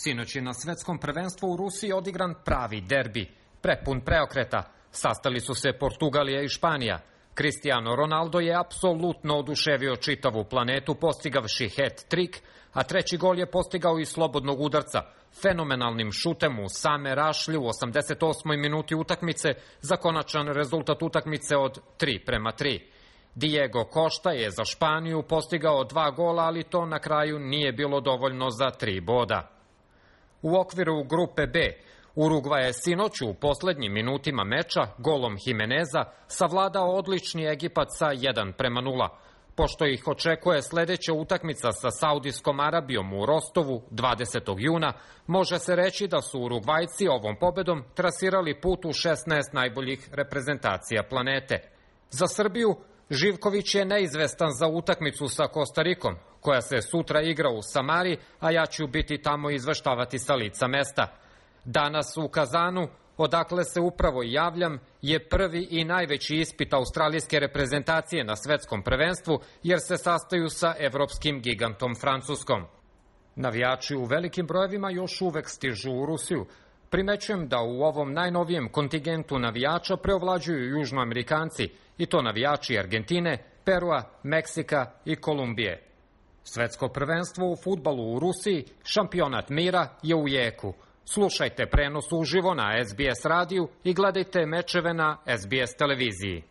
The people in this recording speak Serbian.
Sinoć je na svetskom prvenstvu u Rusiji odigran pravi derbi, prepun preokreta. Sastali su se Portugalija i Španija. Cristiano Ronaldo je apsolutno oduševio čitavu planetu postigavši hat-trik, a treći gol je postigao iz slobodnog udarca, fenomenalnim šutem u same rašlje u 88. minuti utakmice za konačan rezultat utakmice od 3:3. Diego Costa je za Španiju postigao 2 gola, ali to na kraju nije bilo dovoljno za 3 boda. U okviru grupe B, Urugvaj je sinoć u poslednjim minutima meča golom Jimeneza savladao odlični Egipat sa 1:0. Pošto ih očekuje sledeća utakmica sa Saudijskom Arabijom u Rostovu 20. juna, može se reći da su Urugvajci ovom pobedom trasirali put u 16 najboljih reprezentacija planete. Za Srbiju Živković je neizvestan za utakmicu sa Kostarikom, koja se sutra igra u Samari, a ja ću biti tamo izveštavati sa lica mesta. Danas u Kazanu, odakle se upravo javljam, je prvi i najveći ispit australijske reprezentacije na svetskom prvenstvu, jer se sastaju sa evropskim gigantom Francuskom. Navijači u velikim brojevima još uvek stižu u Rusiju. Primećujem da u ovom najnovijem kontingentu navijača preovlađuju Južnoamerikanci, i to navijači Argentine, Perua, Meksika i Kolumbije. Svetsko prvenstvo u fudbalu u Rusiji, šampionat mira, je u jeku. Slušajte prenos uživo na SBS radiju i gledajte mečeve na SBS televiziji.